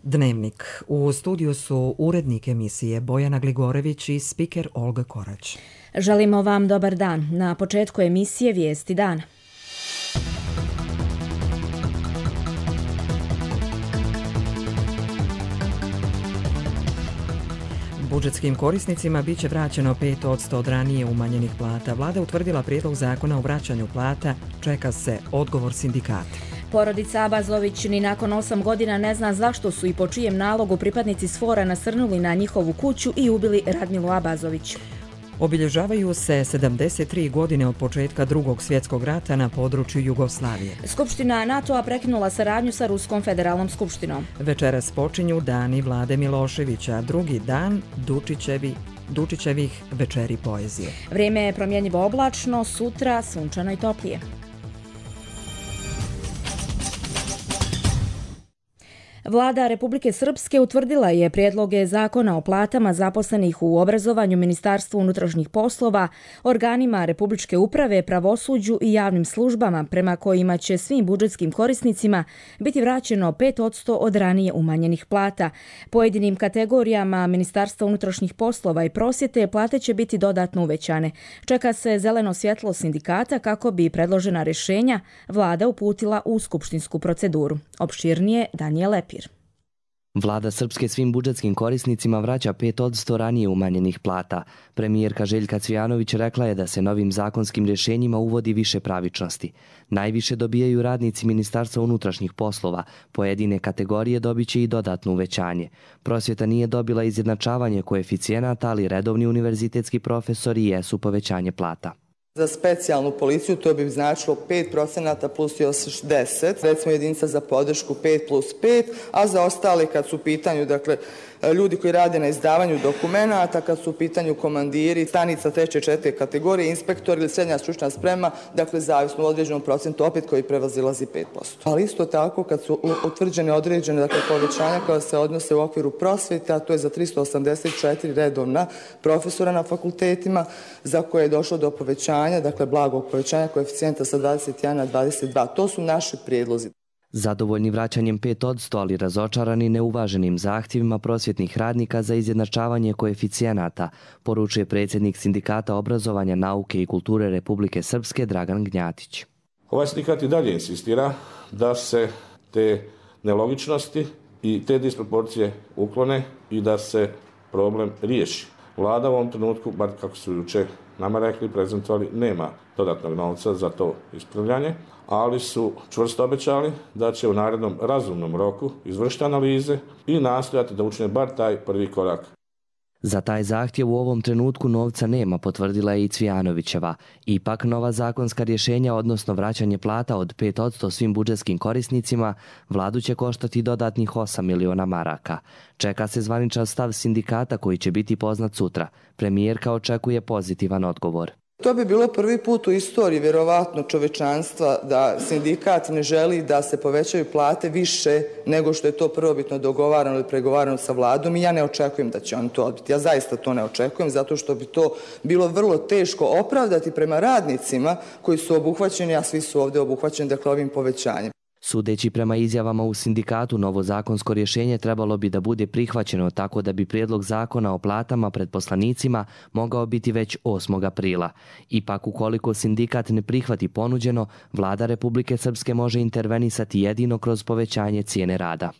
Dnevnik. U studiju su urednik emisije Bojana Gligorević i spiker Olga Korać. Želimo vam dobar dan. Na početku emisije Vijesti dana. Budžetskim korisnicima biće vraćeno 5% od ranije umanjenih plata. Vlada utvrdila prijedlog zakona o vraćanju plata. Čeka se odgovor sindikata. Porodica Abazović ni nakon 8 godina ne zna zašto su i po čijem nalogu pripadnici SFOR-a nasrnuli na njihovu kuću i ubili Radmilu Abazović. Obilježavaju se 73 godine od početka Drugog svjetskog rata na području Jugoslavije. Skupština NATO-a prekinula saradnju sa Ruskom federalnom skupštinom. Večeras počinju dani Vlade Miloševića, drugi dan Dučićevih večeri poezije. Vrijeme je promjenjivo oblačno, sutra sunčano i toplije. Vlada Republike Srpske utvrdila je prijedloge zakona o platama zaposlenih u obrazovanju, Ministarstvu unutrašnjih poslova, organima Republičke uprave, pravosuđu i javnim službama, prema kojima će svim budžetskim korisnicima biti vraćeno 5% od ranije umanjenih plata. Pojedinim kategorijama Ministarstva unutrašnjih poslova i prosvjete plate će biti dodatno uvećane. Čeka se zeleno svjetlo sindikata kako bi predložena rješenja Vlada uputila u skupštinsku proceduru. Opširnije Danijel Lepir. Vlada Srpske svim budžetskim korisnicima vraća 5% ranije umanjenih plata. Premijerka Željka Cvijanović rekla je da se novim zakonskim rješenjima uvodi više pravičnosti. Najviše dobijaju radnici Ministarstva unutrašnjih poslova. Pojedine kategorije dobit će i dodatno uvećanje. Prosvjeta nije dobila izjednačavanje koeficijenata, ali redovni univerzitetski profesori jesu povećanje plata. Za specijalnu policiju to bi značilo 5% plus još 10%, recimo jedinica za podršku 5 plus 5, a za ostale kad su u pitanju, ljudi koji rade na izdavanju dokumenata, kad su u pitanju komandiri, stanica 3. i 4. kategorije, inspektori ili srednja stručna sprema, zavisno u određenom procentu opet koji prevazilazi 5%. Ali isto tako kad su utvrđene određene povećanja koja se odnose u okviru prosvjete, a to je za 384 redovna profesora na fakultetima, za koje je došlo do povećanja, blagog povećanja koeficijenta sa 21 na 22. To su naši prijedlozi. Zadovoljni vraćanjem 5%, ali razočarani neuvaženim zahtjevima prosvjetnih radnika za izjednačavanje koeficijenata, poručuje predsjednik Sindikata obrazovanja, nauke i kulture Republike Srpske Dragan Gnjatić. Ovaj sindikat i dalje insistira da se te nelogičnosti i te disproporcije uklone i da se problem riješi. Vlada u ovom trenutku, bar kako su jučer nama rekli, prezentovali, nema dodatnog novca za to ispravljanje, ali su čvrsto obećali da će u narednom razumnom roku izvršiti analize i nastojati da učine bar taj prvi korak. Za taj zahtjev u ovom trenutku novca nema, potvrdila je i Cvijanovićeva. Ipak nova zakonska rješenja, odnosno vraćanje plata od 5% svim budžetskim korisnicima, vladu će koštati dodatnih 8 miliona maraka. Čeka se zvaničan stav sindikata koji će biti poznat sutra. Premijerka očekuje pozitivan odgovor. To bi bilo prvi put u istoriji, vjerovatno, čovečanstva da sindikat ne želi da se povećaju plate više nego što je to prvobitno dogovarano ili pregovarano sa vladom i ja ne očekujem da će oni to odbiti. Ja zaista to ne očekujem zato što bi to bilo vrlo teško opravdati prema radnicima koji su obuhvaćeni, a svi su ovdje obuhvaćeni ovim povećanjem. Sudeći prema izjavama u sindikatu, novo zakonsko rješenje trebalo bi da bude prihvaćeno tako da bi prijedlog zakona o platama pred poslanicima mogao biti već 8. aprila. Ipak, ukoliko sindikat ne prihvati ponuđeno, Vlada Republike Srpske može intervenisati jedino kroz povećanje cijene rada.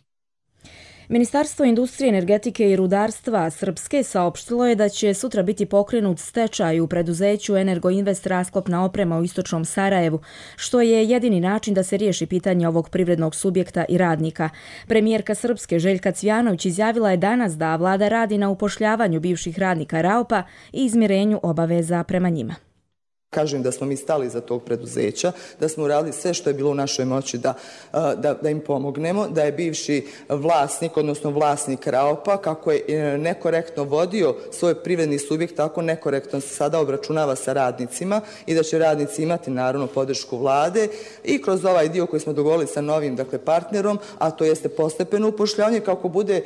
Ministarstvo industrije, energetike i rudarstva Srpske saopštilo je da će sutra biti pokrenut stečaj u preduzeću Energoinvest rasklopna oprema u istočnom Sarajevu, što je jedini način da se riješi pitanje ovog privrednog subjekta i radnika. Premijerka Srpske Željka Cvijanović izjavila je danas da vlada radi na upošljavanju bivših radnika RAOP-a i izmirenju obaveza prema njima. Kažem da smo mi stali iza tog preduzeća, da smo uradili sve što je bilo u našoj moći da im pomognemo, da je bivši vlasnik, odnosno vlasnik RAOP-a, kako je nekorektno vodio svoj privredni subjekt, tako nekorektno se sada obračunava sa radnicima i da će radnici imati naravno podršku vlade i kroz ovaj dio koji smo dogovorili sa novim partnerom, a to jeste postepeno upošljavanje, kako bude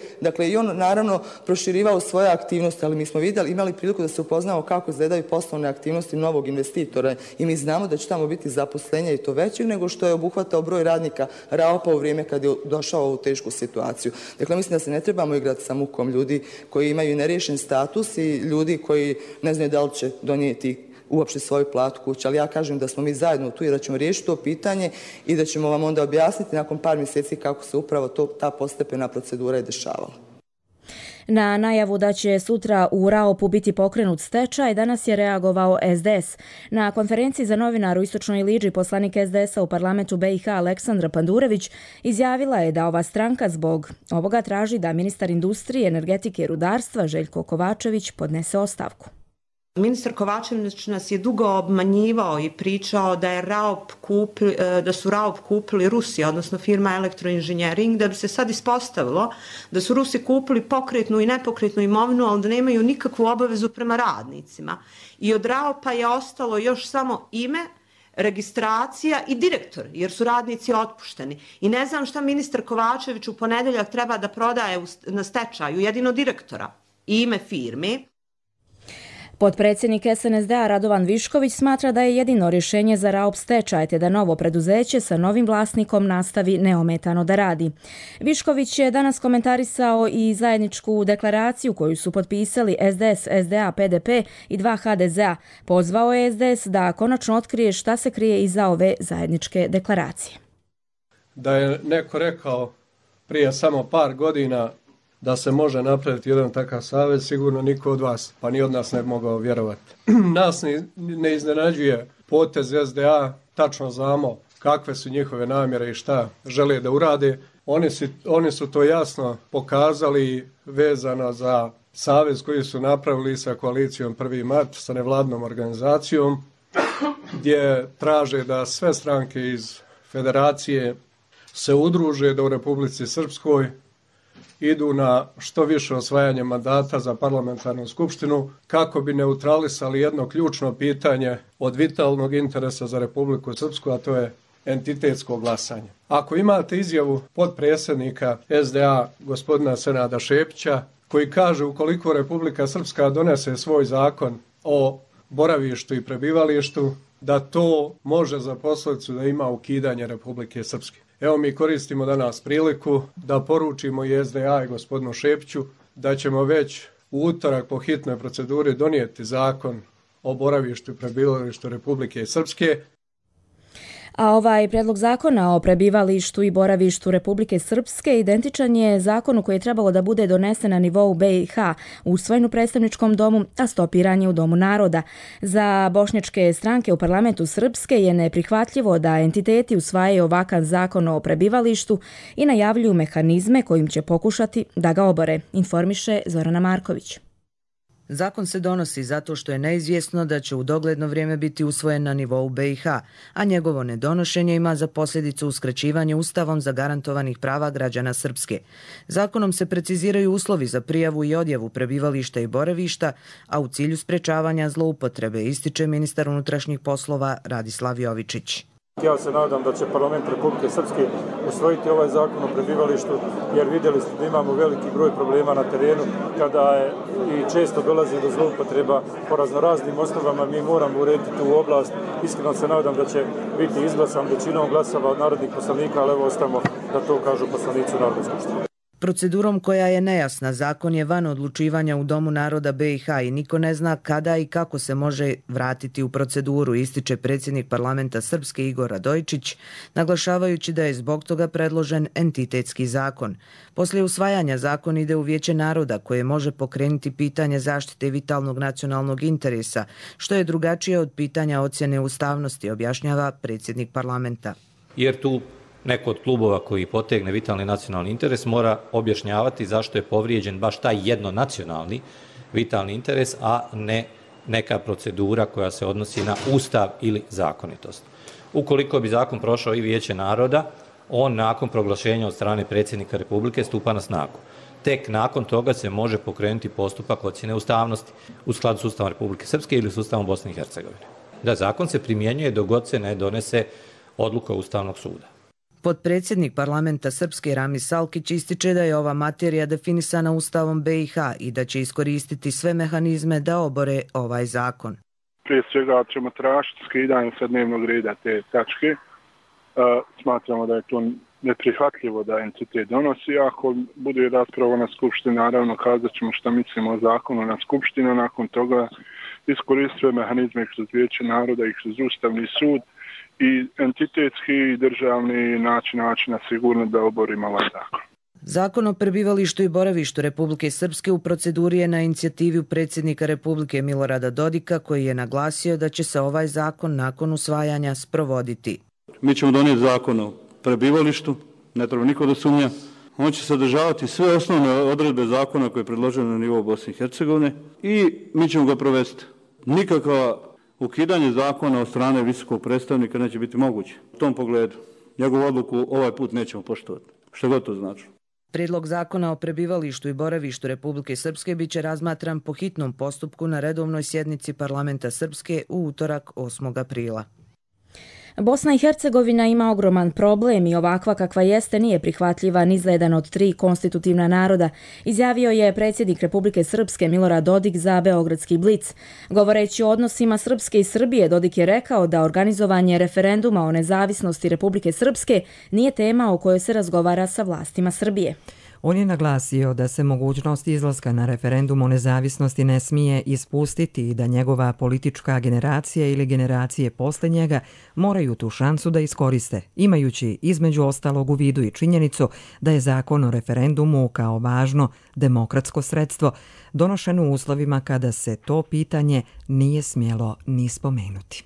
i on naravno proširivao svoje aktivnosti, ali mi smo imali priliku da se upoznamo kako izgledaju poslovne aktivnosti novog investitora investitora i mi znamo da će tamo biti zaposlenja i to većeg nego što je obuhvatao broj radnika Raopa u vrijeme kad je došao u ovu tešku situaciju. Dakle, mislim da se ne trebamo igrati sa mukom ljudi koji imaju neriješen status i ljudi koji ne znaju da li će donijeti uopšte svoju platu kuće, ali ja kažem da smo mi zajedno tu i da ćemo riješiti to pitanje i da ćemo vam onda objasniti nakon par mjeseci kako se upravo ta postepena procedura je dešavala. Na najavu da će sutra u Raopu biti pokrenut stečaj, danas je reagovao SDS. Na konferenciji za novinare u Istočnoj Liđi poslanik SDS-a u parlamentu BiH Aleksandra Pandurević izjavila je da ova stranka zbog ovoga traži da ministar industrije, energetike i rudarstva Željko Kovačević podnese ostavku. Ministar Kovačević nas je dugo obmanjivao i pričao da su Raop kupili Rusi, odnosno firma Elektroinženjering, da bi se sad ispostavilo da su Rusi kupili pokretnu i nepokretnu imovinu, ali da nemaju nikakvu obavezu prema radnicima. I od Raopa je ostalo još samo ime, registracija i direktor, jer su radnici otpušteni. I ne znam šta ministar Kovačević u ponedeljak treba da prodaje na stečaju, jedino direktora i ime firme. Potpredsjednik SNSD-a Radovan Višković smatra da je jedino rješenje za Raop stečaj te da novo preduzeće sa novim vlasnikom nastavi neometano da radi. Višković je danas komentarisao i zajedničku deklaraciju koju su potpisali SDS, SDA, PDP i 2 HDZ-a. Pozvao je SDS da konačno otkrije šta se krije iza ove zajedničke deklaracije. Da je neko rekao prije samo par godina da se može napraviti jedan takav savez, sigurno niko od vas, pa ni od nas ne bi mogao vjerovati. Nas ne iznenađuje potez SDA, tačno znamo kakve su njihove namjere i šta žele da urade. Oni su to jasno pokazali vezano za savez koji su napravili sa koalicijom 1. mart, sa nevladnom organizacijom, gdje traže da sve stranke iz federacije se udruže da u Republici Srpskoj idu na što više osvajanje mandata za parlamentarnu skupštinu kako bi neutralisali jedno ključno pitanje od vitalnog interesa za Republiku Srpsku, a to je entitetsko glasanje. Ako imate izjavu potpredsjednika SDA gospodina Senada Šepića koji kaže ukoliko Republika Srpska donese svoj zakon o boravištu i prebivalištu, da to može za posljedicu da ima ukidanje Republike Srpske. Evo mi koristimo danas priliku da poručimo i SDA i gospodinu Šepiću da ćemo već u utorak po hitnoj proceduri donijeti zakon o boravištu i prebivalištu Republike Srpske. A ovaj prijedlog zakona o prebivalištu i boravištu Republike Srpske identičan je zakonu koji je trebalo da bude donesen na nivou BiH, usvojen u predstavničkom domu, a stopiran je u Domu naroda. Za bošnjačke stranke u parlamentu Srpske je neprihvatljivo da entiteti usvajaju ovakav zakon o prebivalištu i najavljuju mehanizme kojim će pokušati da ga obore, informiše Zorana Marković. Zakon se donosi zato što je neizvjesno da će u dogledno vrijeme biti usvojen na nivou BiH, a njegovo nedonošenje ima za posljedicu uskraćivanje Ustavom zagarantovanih prava građana Srpske. Zakonom se preciziraju uslovi za prijavu i odjavu prebivališta i boravišta, a u cilju sprečavanja zloupotrebe, ističe ministar unutrašnjih poslova Radislav Jovičić. Ja se nadam da će parlament Republike Srpske usvojiti ovaj zakon o prebivalištu, jer vidjeli ste da imamo veliki broj problema na terenu kada je i često dolazi do zloupotreba po raznoraznim osnovama. Mi moramo urediti tu oblast. Iskreno se nadam da će biti izglasan većinom glasova od narodnih poslanika, ali evo ostamo da to kažu poslanici u Narodnoj skupštini. Procedurom koja je nejasna, zakon je van odlučivanja u Domu naroda BiH i niko ne zna kada i kako se može vratiti u proceduru, ističe predsjednik parlamenta Srpske Igor Radojičić, naglašavajući da je zbog toga predložen entitetski zakon. Poslije usvajanja zakon ide u Vijeće naroda koje može pokrenuti pitanje zaštite vitalnog nacionalnog interesa, što je drugačije od pitanja ocjene ustavnosti, objašnjava predsjednik parlamenta. Jer tu neko od klubova koji potegne vitalni nacionalni interes mora objašnjavati zašto je povrijeđen baš taj jednonacionalni vitalni interes, a ne neka procedura koja se odnosi na ustav ili zakonitost. Ukoliko bi zakon prošao i Vijeće naroda, on nakon proglašenja od strane predsjednika Republike stupa na snagu. Tek nakon toga se može pokrenuti postupak ocjene ustavnosti u skladu s Ustavom Republike Srpske ili s Ustavom Bosne i Hercegovine. Da, zakon se primjenjuje dok god se ne donese odluka Ustavnog suda. Potpredsjednik parlamenta Srpske Ramiz Salkić ističe da je ova materija definisana Ustavom BiH i da će iskoristiti sve mehanizme da obore ovaj zakon. prije svega ćemo tražiti skidanje sa dnevnog reda te tačke. Smatramo da je to neprihvatljivo da entitet donosi. Ako bude rasprava na skupštini, naravno kazat ćemo šta mislimo o zakonu na skupštinu. Nakon toga iskoristuje mehanizme kroz Vijeće naroda i kroz Ustavni sud i entitetski i državni načina sigurno da oborimo ovaj zakon. Zakon o prebivalištu i boravištu Republike Srpske u proceduri je na inicijativu predsjednika Republike Milorada Dodika, koji je naglasio da će se ovaj zakon nakon usvajanja sprovoditi. Mi ćemo donijeti zakon o prebivalištu, ne treba niko da sumnja. On će sadržavati sve osnovne odredbe zakona koje je predloženo na nivou Bosne i Hercegovine i mi ćemo ga provesti. Nikakva ukidanje zakona od strane visokog predstavnika neće biti moguće. U tom pogledu njegovu odluku ovaj put nećemo poštovati. Što god to znači. Prijedlog zakona o prebivalištu i boravištu Republike Srpske biće razmatran po hitnom postupku na redovnoj sjednici Parlamenta Srpske u utorak 8. aprila. Bosna i Hercegovina ima ogroman problem i ovakva kakva jeste nije prihvatljiva ni za jedan od 3 konstitutivna naroda, izjavio je predsjednik Republike Srpske Milorad Dodik za Beogradski Blic. Govoreći o odnosima Srpske i Srbije, Dodik je rekao da organizovanje referenduma o nezavisnosti Republike Srpske nije tema o kojoj se razgovara sa vlastima Srbije. On je naglasio da se mogućnost izlaska na referendum o nezavisnosti ne smije ispustiti i da njegova politička generacija ili generacije posle njega moraju tu šansu da iskoriste, imajući između ostalog u vidu i činjenicu da je zakon o referendumu kao važno demokratsko sredstvo donošen u uslovima kada se to pitanje nije smjelo ni spomenuti.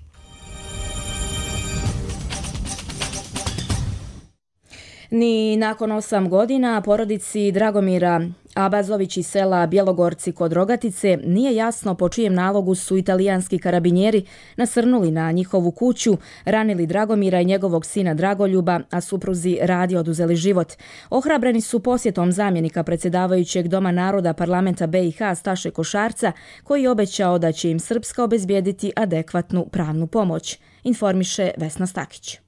Ni nakon 8 godina porodici Dragomira Abazović iz sela Bjelogorci kod Rogatice nije jasno po čijem nalogu su italijanski karabinjeri nasrnuli na njihovu kuću, ranili Dragomira i njegovog sina Dragoljuba, a supruzi Radi oduzeli život. Ohrabreni su posjetom zamjenika predsjedavajućeg Doma naroda parlamenta BiH Staše Košarca, koji je obećao da će im Srpska obezbijediti adekvatnu pravnu pomoć, informiše Vesna Stakić.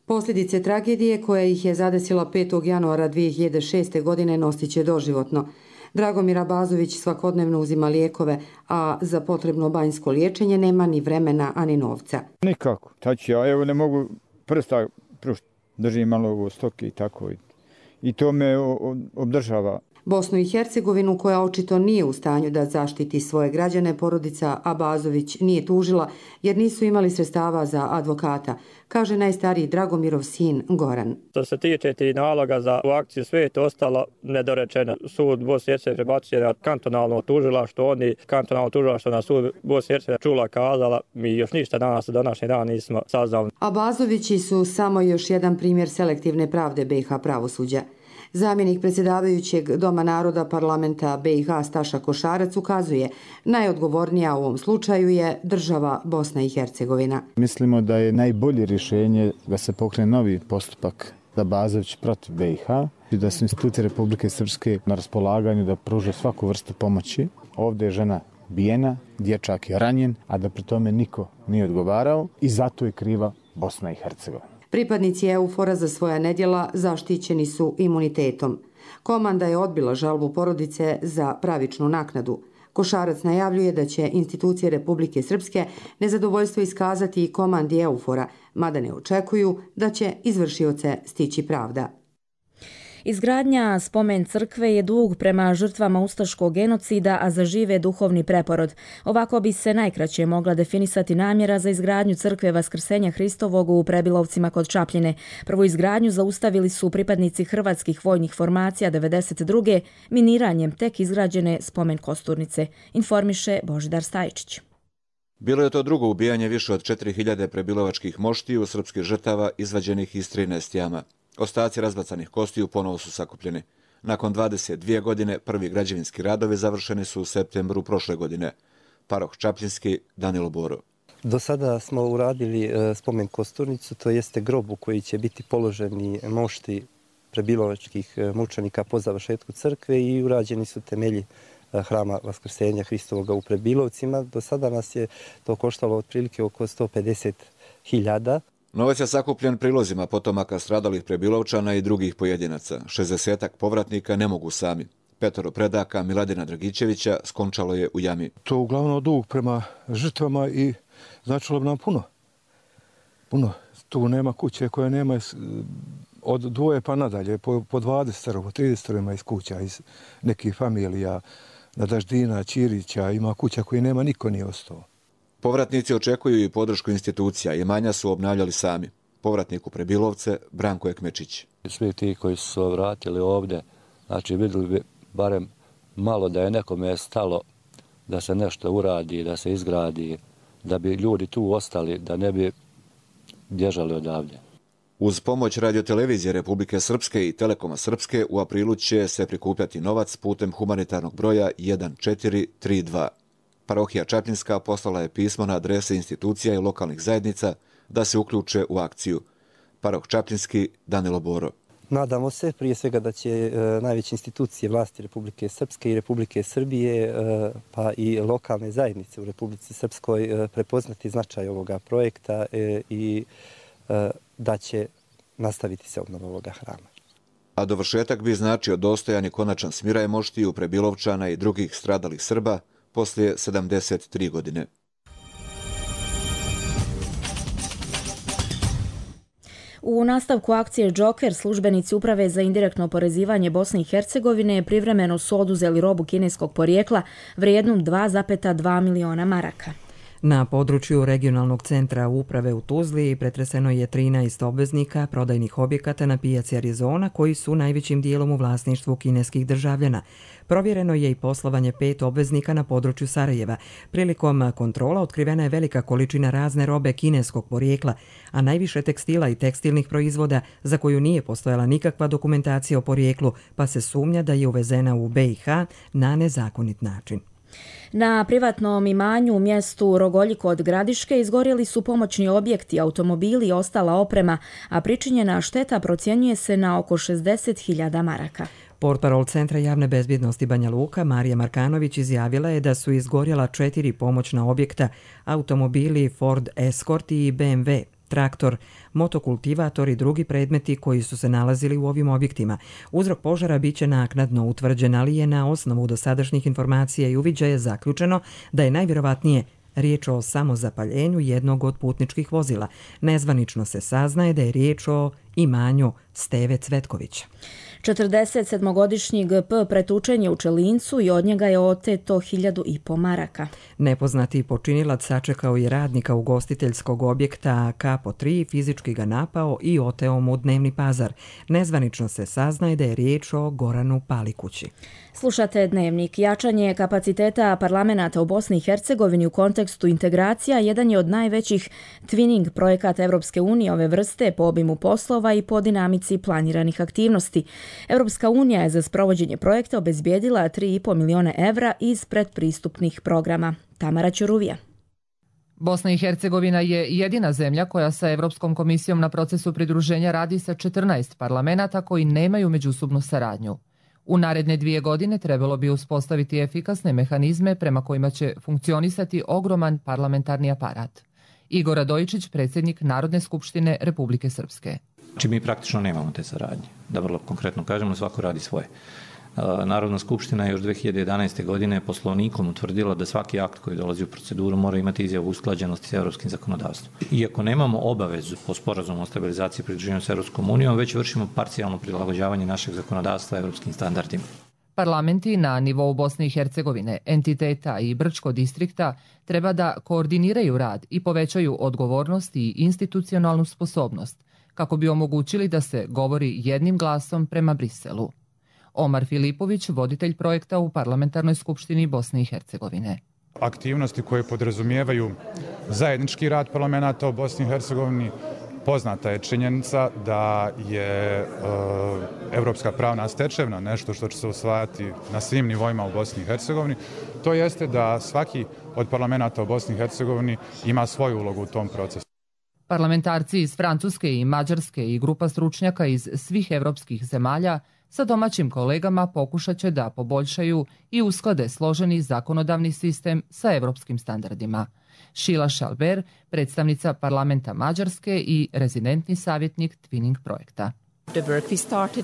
Posljedice tragedije koja ih je zadesila 5. januara 2006. godine nosit će doživotno. Dragomir Abazović svakodnevno uzima lijekove, a za potrebno banjsko liječenje nema ni vremena, ani novca. Nikako. Tači, ja evo ne mogu prsta prušti. Držim malo u stoke i tako. I to me obdržava. Bosnu i Hercegovinu, koja očito nije u stanju da zaštiti svoje građane, porodica Abazović nije tužila jer nisu imali sredstava za advokata, kaže najstariji Dragomirov sin Goran. Što se tiče ti naloga za u akciju, sve je to ostalo nedorečeno. Sud Bosne i Hercegovine prebacio na kantonalno tužilaštvo, oni kantonalno tužilaštvo na sud Bosne i Hercegovine čula kazala, mi još ništa danas do današnjeg dana nismo saznali. Abazovići su samo još jedan primjer selektivne pravde BiH pravosuđa. Zamjenik predsjedavajućeg Doma naroda parlamenta BiH Staša Košarac ukazuje, najodgovornija u ovom slučaju je država Bosna i Hercegovina. Mislimo da je najbolje rješenje da se pokrene novi postupak Abazović protiv BiH i da su institucije Republike Srpske na raspolaganju da pruže svaku vrstu pomoći. Ovdje je žena bijena, dječak je ranjen, a da pri tome niko nije odgovarao i zato je kriva Bosna i Hercegovina. Pripadnici EUFOR-a za svoja nedjela zaštićeni su imunitetom. Komanda je odbila žalbu porodice za pravičnu naknadu. Košarac najavljuje da će institucije Republike Srpske nezadovoljstvo iskazati i komandi EUFOR-a, mada ne očekuju da će izvršioce stići pravda. Izgradnja spomen crkve je dug prema žrtvama ustaškog genocida, a za žive duhovni preporod. Ovako bi se najkraće mogla definisati namjera za izgradnju crkve Vaskrsenja Hristovog u Prebilovcima kod Čapljine. Prvu izgradnju zaustavili su pripadnici hrvatskih vojnih formacija 92. miniranjem tek izgrađene spomen kosturnice, informiše Božidar Stajčić. Bilo je to drugo ubijanje više od 4000 prebilovačkih moštiju srpskih žrtava izvađenih iz 13 jama. Ostaci razbacanih kostiju ponovo su sakupljeni. Nakon 22 godine prvi građevinski radovi završeni su u septembru prošle godine. Paroh Čapljinski, Danilo Boro. Do sada smo uradili spomen kosturnicu, to jeste grob u koji će biti položeni mošti prebilovačkih mučenika po završetku crkve i urađeni su temelji hrama Vaskrsenja Hristovoga u Prebilovcima. Do sada nas je to koštalo otprilike oko 150.000. Novac je sakupljen prilozima potomaka stradalih Prebilovčana i drugih pojedinaca. 60-ak povratnika ne mogu sami. 5 predaka Miladina Dragićevića skončalo je u jami. To uglavnom dug prema žrtvama i značilo bi nam puno. Tu nema kuće koja nema od 2 pa nadalje, po 20, po 30 ima iz kuća, iz nekih familija, Nadaždina, Ćirića, ima kuća koji nema, niko nije ostao. Povratnici očekuju i podršku institucija, imanja su obnavljali sami. Povratnik u Prebilovce, Branko Ekmečić. Svi ti koji su se vratili ovdje, znači vidjeli bi barem malo da je nekome stalo da se nešto uradi, da se izgradi, da bi ljudi tu ostali, da ne bi bježali odavdje. Uz pomoć radiotelevizije Republike Srpske i Telekoma Srpske u aprilu će se prikupljati novac putem humanitarnog broja 1432. Parohija Čapljinska poslala je pismo na adrese institucija i lokalnih zajednica da se uključe u akciju. Paroh Čapljinski, Danilo Boro. Nadamo se prije svega da će najveće institucije vlasti Republike Srpske i Republike Srbije pa i lokalne zajednice u Republici Srpskoj prepoznati značaj ovoga projekta i da će nastaviti se obnova ovoga hrama. A dovršetak bi značio dostojan i konačan smiraj moštiju Prebilovčana i drugih stradalih Srba poslije 73 godine. U nastavku akcije Džoker, službenici Uprave za indirektno oporezivanje Bosne i Hercegovine privremeno su oduzeli robu kineskog porijekla vrijednu 2,2 miliona maraka. Na području regionalnog centra uprave u Tuzli pretreseno je 13 obveznika prodajnih objekata na pijaci Arizona koji su najvećim dijelom u vlasništvu kineskih državljana. Provjereno je i poslovanje 5 obveznika na području Sarajeva. Prilikom kontrola otkrivena je velika količina razne robe kineskog porijekla, a najviše tekstila i tekstilnih proizvoda za koju nije postojala nikakva dokumentacija o porijeklu, pa se sumnja da je uvezena u BiH na nezakonit način. Na privatnom imanju u mjestu Rogolji kod Gradiške izgorjeli su pomoćni objekti, automobili i ostala oprema, a pričinjena šteta procjenjuje se na oko 60.000 maraka. Portparol Centra javne bezbjednosti Banja Luka Marija Markanović izjavila je da su izgorjela 4 pomoćna objekta, automobili Ford Escort i BMW, traktor, motokultivator i drugi predmeti koji su se nalazili u ovim objektima. Uzrok požara biće naknadno utvrđen, ali je na osnovu dosadašnjih informacija i uviđaja zaključeno da je najvjerovatnije riječ o samozapaljenju jednog od putničkih vozila. Nezvanično se saznaje da je riječ o imanju Steve Cvetkovića. 47-godišnji GP pretučen je u Čelincu i od njega je oteto 1.500 maraka. Nepoznati počinilac sačekao je radnika ugostiteljskog objekta Kapo 3, fizički ga napao i oteo mu dnevni pazar. Nezvanično se saznaje da je riječ o Goranu Palikući. Slušate Dnevnik. Jačanje kapaciteta parlamenata u Bosni i Hercegovini u kontekstu integracija jedan je od najvećih twinning projekata Evropske unije ove vrste po obimu poslova i po dinamici planiranih aktivnosti. Evropska unija je za sprovođenje projekta obezbijedila 3,5 miliona evra iz predpristupnih programa. Tamara Ćuruvija. Bosna i Hercegovina je jedina zemlja koja sa Evropskom komisijom na procesu pridruženja radi sa 14 parlamenata koji nemaju međusobnu saradnju. U naredne 2 godine trebalo bi uspostaviti efikasne mehanizme prema kojima će funkcionisati ogroman parlamentarni aparat. Igor Radojičić, predsjednik Narodne skupštine Republike Srpske. Znači mi praktično nemamo te saradnje. Da vrlo konkretno kažemo, svako radi svoje. Narodna skupština je još 2011. godine poslovnikom utvrdila da svaki akt koji dolazi u proceduru mora imati izjavu usklađenosti s europskim zakonodavstvom. Iako nemamo obavezu po sporazumu o stabilizaciji i pridruživanju s Europskom unijom, već vršimo parcijalno prilagođavanje našeg zakonodavstva europskim standardima. Parlamenti na nivou Bosne i Hercegovine, entiteta i Brčko distrikta treba da koordiniraju rad i povećaju odgovornost i institucionalnu sposobnost, kako bi omogućili da se govori jednim glasom prema Briselu. Omar Filipović, voditelj projekta u Parlamentarnoj skupštini Bosne i Hercegovine. Aktivnosti koje podrazumijevaju zajednički rad parlamenta u Bosni i Hercegovini, poznata je činjenica da je evropska pravna stečevina nešto što će se usvajati na svim nivoima u Bosni i Hercegovini. To jeste da svaki od parlamenta u Bosni i Hercegovini ima svoju ulogu u tom procesu. Parlamentarci iz Francuske i Mađarske i grupa stručnjaka iz svih evropskih zemalja sa domaćim kolegama pokušat će da poboljšaju i usklade složeni zakonodavni sistem sa evropskim standardima. Šila Šalber, predstavnica parlamenta Mađarske i rezidentni savjetnik Twinning projekta.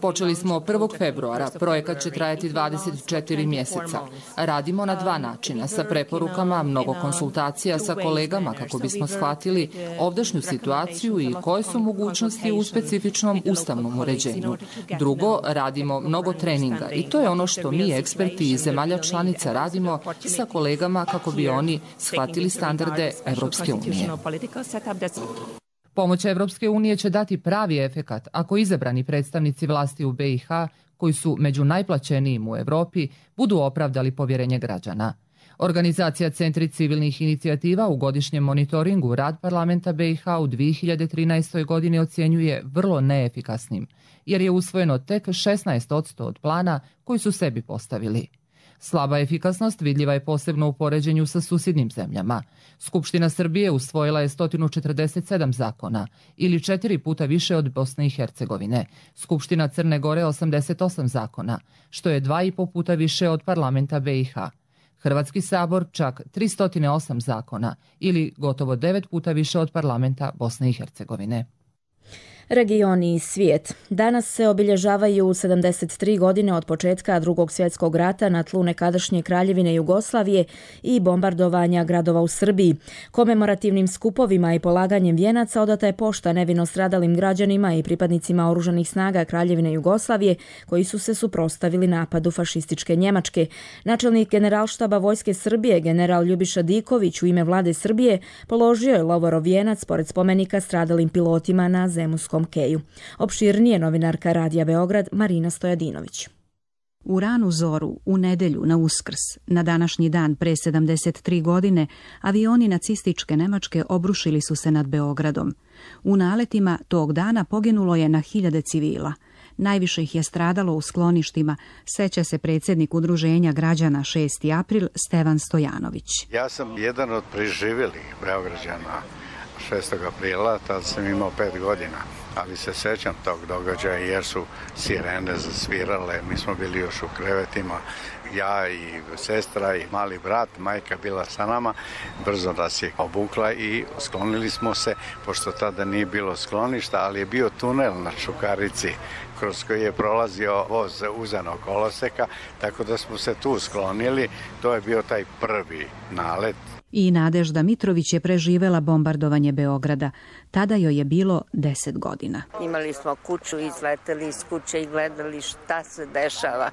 Počeli smo 1. februara. Projekat će trajati 24 mjeseca. Radimo na 2 načina, sa preporukama, mnogo konsultacija sa kolegama kako bismo shvatili ovdašnju situaciju i koje su mogućnosti u specifičnom ustavnom uređenju. Drugo, radimo mnogo treninga i to je ono što mi, eksperti iz zemalja članica, radimo sa kolegama kako bi oni shvatili standarde Evropske unije. Pomoć Evropske unije će dati pravi efekat ako izabrani predstavnici vlasti u BiH, koji su među najplaćenijim u Evropi, budu opravdali povjerenje građana. Organizacija Centri civilnih inicijativa u godišnjem monitoringu rad parlamenta BiH u 2013. godini ocjenjuje vrlo neefikasnim, jer je usvojeno tek 16% od plana koji su sebi postavili. Slaba efikasnost vidljiva je posebno u poređenju sa susjednim zemljama. Skupština Srbije usvojila je 147 zakona, ili 4 puta više od Bosne i Hercegovine. Skupština Crne Gore 88 zakona, što je 2,5 puta više od parlamenta BiH. Hrvatski sabor čak 308 zakona, ili gotovo 9 puta više od parlamenta Bosne i Hercegovine. Regioni i svijet. Danas se obilježavaju 73 godine od početka Drugog svjetskog rata na tlu nekadašnje Kraljevine Jugoslavije i bombardovanja gradova u Srbiji. Komemorativnim skupovima i polaganjem vijenaca odata je pošta nevino stradalim građanima i pripadnicima oružanih snaga Kraljevine Jugoslavije koji su se suprotstavili napadu fašističke Njemačke. Načelnik Generalštaba Vojske Srbije, general Ljubiša Diković, u ime vlade Srbije položio je lovorov vijenac pored spomenika stradalim pilotima na Zemunskom keju. Opširnije novinarka Radija Beograd Marina Stojadinović. U ranu zoru, u nedelju, na Uskrs, na današnji dan pre 73 godine, avioni nacističke Nemačke obrušili su se nad Beogradom. U naletima tog dana poginulo je na hiljade civila. Najviše ih je stradalo u skloništima, seća se predsjednik Udruženja građana 6. april Stevan Stojanović. Ja sam jedan od preživjelih Beograđana 6. aprila, tad sam imao 5 godina, ali se sećam tog događaja jer su sirene zasvirale, mi smo bili još u krevetima, ja i sestra i mali brat, majka bila sa nama, brzo nas je obukla i sklonili smo se, pošto tada nije bilo skloništa, ali je bio tunel na Čukarici kroz koji je prolazio voz uzanog koloseka, tako da smo se tu sklonili, to je bio taj prvi nalet. I Nadežda Mitrović je preživela bombardovanje Beograda. Tada joj je bilo 10 godina. Imali smo kuću, izleteli iz kuće i gledali šta se dešava,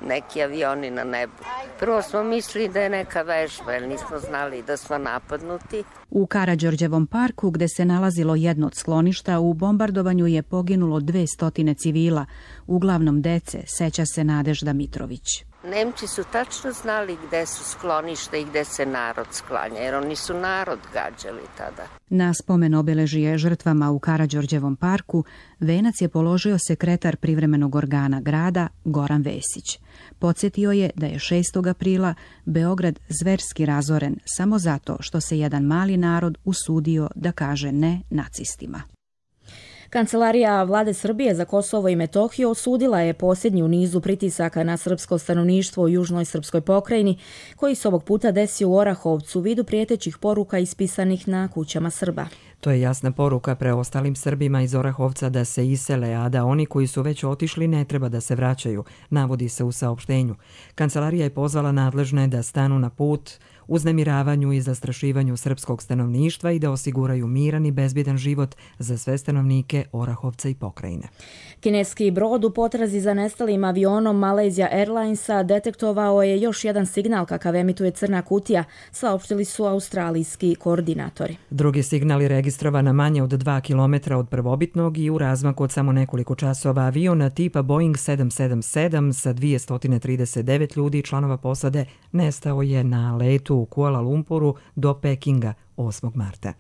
neki avioni na nebu. Prvo smo mislili da je neka vežba, jer nismo znali da smo napadnuti. U Karađorđevom parku, gde se nalazilo jedno od skloništa, u bombardovanju je poginulo 200 civila, uglavnom dece, seća se Nadežda Mitrović. Nemci su tačno znali gde su sklonište i gde se narod sklanja, jer oni su narod gađali tada. Na spomen obeležije žrtvama u Karađorđevom parku venac je položio sekretar privremenog organa grada Goran Vesić. Podsjetio je da je 6. aprila Beograd zverski razoren samo zato što se jedan mali narod usudio da kaže ne nacistima. Kancelarija vlade Srbije za Kosovo i Metohiju osudila je posljednji u nizu pritisaka na srpsko stanovništvo u južnoj srpskoj pokrajini, koji se ovog puta desio u Orahovcu u vidu prijetećih poruka ispisanih na kućama Srba. To je jasna poruka preostalim Srbima iz Orahovca da se isele, a da oni koji su već otišli ne treba da se vraćaju, navodi se u saopštenju. Kancelarija je pozvala nadležne da stanu na put uznemiravanju i zastrašivanju srpskog stanovništva i da osiguraju miran i bezbjedan život za sve stanovnike Orahovca i pokrajine. Kineski brod u potrazi za nestalim avionom Malaysia Airlinesa detektovao je još jedan signal kakav emituje crna kutija, saopštili su australijski koordinatori. Drugi signal je registrovan na manje od 2 km od prvobitnog i u razmaku od samo nekoliko časova aviona tipa Boeing 777 sa 239 ljudi i članova posade nestao je na letu u Kuala Lumpuru do Pekinga 8. marta.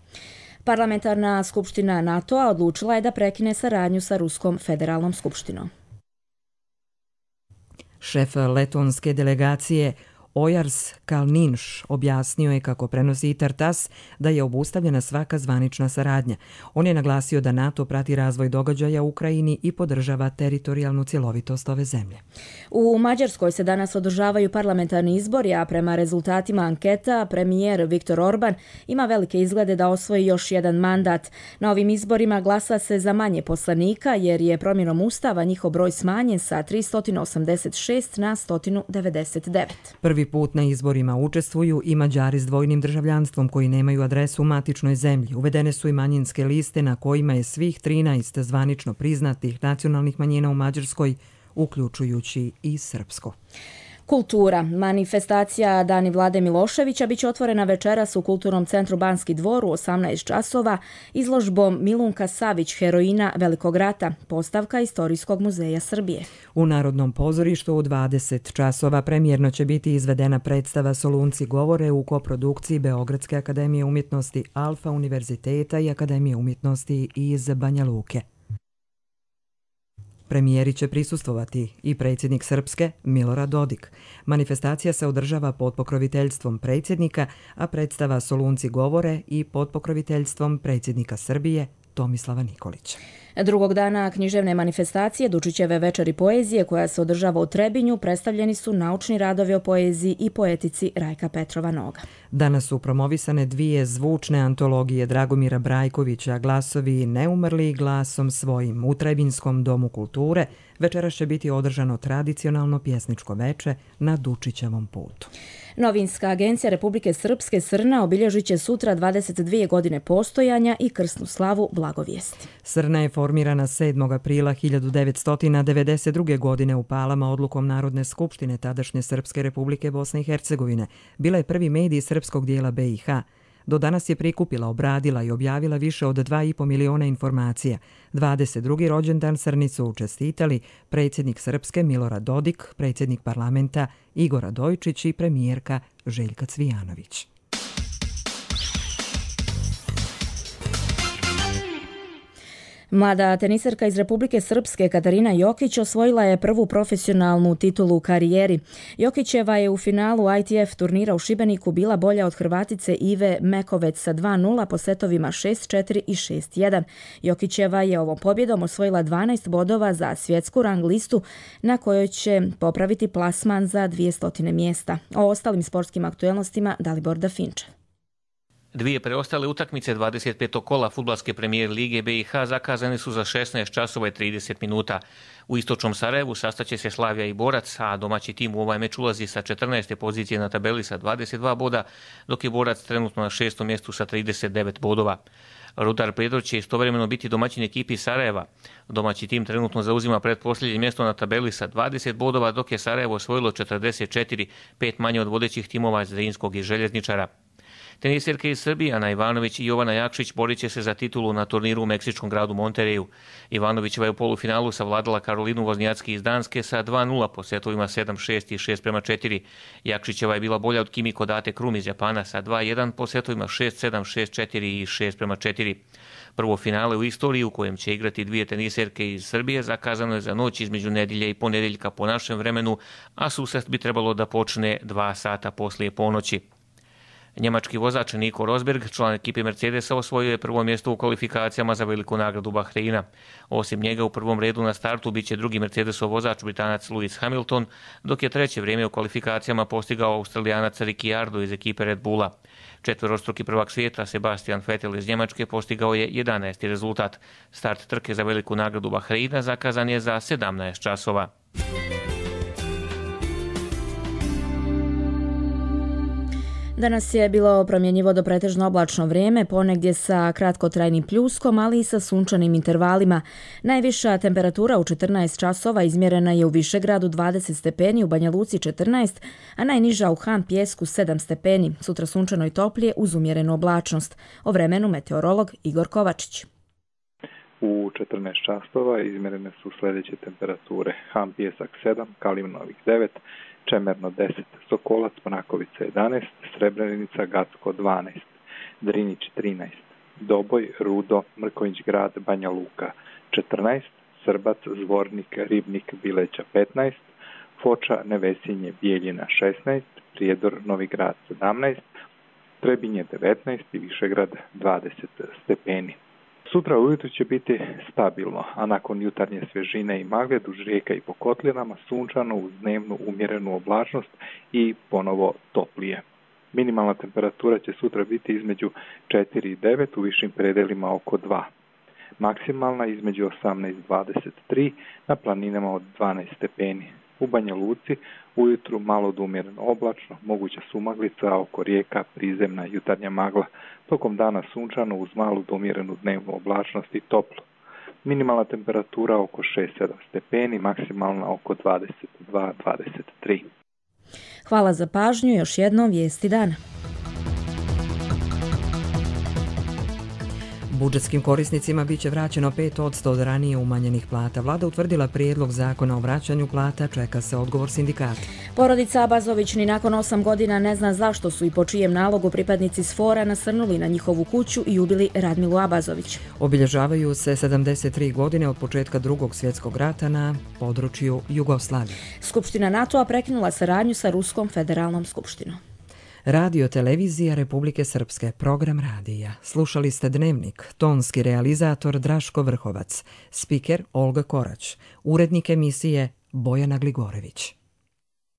Parlamentarna skupština NATO-a odlučila je da prekine saradnju sa Ruskom federalnom skupštinom. Šef letonske delegacije Ojars Kalninš objasnio je, kako prenosi i TASS, da je obustavljena svaka zvanična saradnja. On je naglasio da NATO prati razvoj događaja u Ukrajini i podržava teritorijalnu cjelovitost ove zemlje. U Mađarskoj se danas održavaju parlamentarni izbori, a prema rezultatima anketa premijer Viktor Orban ima velike izglede da osvoji još jedan mandat. Na ovim izborima glasa se za manje poslanika jer je promjenom ustava njihov broj smanjen sa 386 na 199. Prvi put na izborima učestvuju i Mađari s dvojnim državljanstvom koji nemaju adresu u matičnoj zemlji. Uvedene su i manjinske liste na kojima je svih 13 zvanično priznatih nacionalnih manjina u Mađarskoj, uključujući i srpsko. Kultura. Manifestacija Dani Vlade Miloševića biće otvorena večeras u Kulturnom centru Banski dvor u 18 časova izložbom Milunka Savić, heroina Velikog rata, postavka Istorijskog muzeja Srbije. U Narodnom pozorištu u 20 časova premijerno će biti izvedena predstava Solunci govore u koprodukciji Beogradske akademije umjetnosti, Alfa univerziteta i Akademije umjetnosti iz Banja Luke. Premijeri će prisustvovati i predsjednik Srpske Milorad Dodik. Manifestacija se održava pod pokroviteljstvom predsjednika, a predstava Solunci govore i pod pokroviteljstvom predsjednika Srbije Tomislava Nikolića. Drugog dana književne manifestacije Dučićeve večeri poezije, koja se održava u Trebinju, predstavljeni su naučni radovi o poeziji i poetici Rajka Petrova Noga. Danas su promovisane dvije zvučne antologije Dragomira Brajkovića, Glasovi neumrli glasom svojim. U Trebinskom domu kulture večeras će biti održano tradicionalno pjesničko veče na Dučićevom putu. Novinska agencija Republike Srpske Srna obilježit će sutra 22 godine postojanja i krsnu slavu Blagovijesti. Srna je formirana 7. aprila 1992. godine u Palama odlukom Narodne skupštine tadašnje Srpske Republike Bosne i Hercegovine. Bila je prvi medij srpskog dijela BiH. Do danas je prikupila, obradila i objavila više od 2,5 miliona informacija. 22. rođendan Srni su čestitali predsjednik Srpske Milorad Dodik, predsjednik parlamenta Igor Radojčić i premijerka Željka Cvijanović. Mlada teniserka iz Republike Srpske Katarina Jokić osvojila je prvu profesionalnu titulu u karijeri. Jokićeva je u finalu ITF turnira u Šibeniku bila bolja od Hrvatice Ive Mekovec sa 2:0 po setovima 6-4 i 6-1. Jokićeva je ovom pobjedom osvojila 12 bodova za svjetsku rang listu na kojoj će popraviti plasman za 200 mjesta. O ostalim sportskim aktuelnostima Dalibor Dafinčev. Dvije preostale utakmice 25. kola fudbalske premijer lige BiH zakazane su za 16 časova i 30 minuta. U istočnom Sarajevu sastaće se Slavija i Borac, a domaći tim u ovaj meč ulazi sa 14. pozicije na tabeli sa 22 boda, dok je Borac trenutno na 6. mjestu sa 39 bodova. Rudar Prijedor će istovremeno biti domaćin ekipi Sarajeva. Domaći tim trenutno zauzima pretposljednje mjesto na tabeli sa 20 bodova, dok je Sarajevo osvojilo 44, 5 manje od vodećih timova Zrinskog i Željezničara. Teniserke iz Srbije Ana Ivanović i Jovana Jakšić borit će se za titulu na turniru u meksičkom gradu Montereju. Ivanovićeva je u polufinalu savladala Karolinu Voznjacki iz Danske sa 2:0 po setovima 7-6 i 6-4. Jakšićeva je bila bolja od Kimiko Date Krum iz Japana sa 2:1 po setovima 6-7, 6-4 i 6-4. Prvo finale u istoriji u kojem će igrati dvije teniserke iz Srbije zakazano je za noć između nedjelje i ponedjeljka po našem vremenu, a susret bi trebalo da počne 2 sata poslije ponoći. Njemački vozač Nico Rosberg, član ekipe Mercedesa, osvojio je prvo mjesto u kvalifikacijama za veliku nagradu Bahreina. Osim njega u prvom redu na startu bit će drugi Mercedesov vozač Britanac Lewis Hamilton, dok je treće vrijeme u kvalifikacijama postigao Australijanac Ricciardo iz ekipe Red Bulla. Četverostruki prvak svijeta Sebastian Vettel iz Njemačke postigao je 11. rezultat. Start trke za veliku nagradu Bahreina zakazan je za 17 časova. Danas je bilo promjenjivo do pretežno oblačno vrijeme, ponegdje sa kratkotrajnim pljuskom, ali i sa sunčanim intervalima. Najviša temperatura u 14 časova izmjerena je u Višegradu 20 stepeni, u Banja Luci 14, a najniža u Han Pjesku 7 stepeni. Sutra sunčano i toplije uz umjerenu oblačnost. O vremenu meteorolog Igor Kovačić. U 14 časova izmjerene su sljedeće temperature: Han Pjesak 7, Kalimnovih 9, Čemerno 10, Sokolac, Mrakovica 11, Srebrenica, Gacko 12, Drinić 13, Doboj, Rudo, Mrkonjić Grad, Banja Luka 14, Srbac, Zvornik, Ribnik, Bileća 15, Foča, Nevesinje, Bijeljina 16, Prijedor, Novi Grad 17, Trebinje 19 i Višegrad 20 stepeni. Sutra ujutro će biti stabilno, a nakon jutarnje svježine i magle duž rijeka i po kotlinama sunčano uz dnevnu umjerenu oblačnost i ponovo toplije. Minimalna temperatura će sutra biti između 4 i 9, u višim predelima oko 2. Maksimalna između 18 i 23, na planinama od 12 stepeni. U Banja Luci ujutru malo do umjereno oblačno, moguća sumaglica, oko rijeka prizemna jutarnja magla. Tokom dana sunčano uz malu do umjerenu dnevnu oblačnost i toplo. Minimalna temperatura oko 6-7 stepeni, maksimalna oko 22-23. Hvala za pažnju, još jednom vijesti dana. Budžetskim korisnicima biće vraćeno 5% od ranije umanjenih plata. Vlada utvrdila prijedlog zakona o vraćanju plata, čeka se odgovor sindikata. Porodica Abazović ni nakon 8 godina ne zna zašto su i po čijem nalogu pripadnici SFOR-a nasrnuli na njihovu kuću i ubili Radmilu Abazović. Obilježavaju se 73 godine od početka Drugog svjetskog rata na području Jugoslavije. Skupština NATO-a prekinula saradnju sa Ruskom federalnom skupštinom. Radio televizija Republike Srpske, program radija. Slušali ste Dnevnik, tonski realizator Draško Vrhovac, spiker Olga Korać, urednik emisije Bojana Gligorević.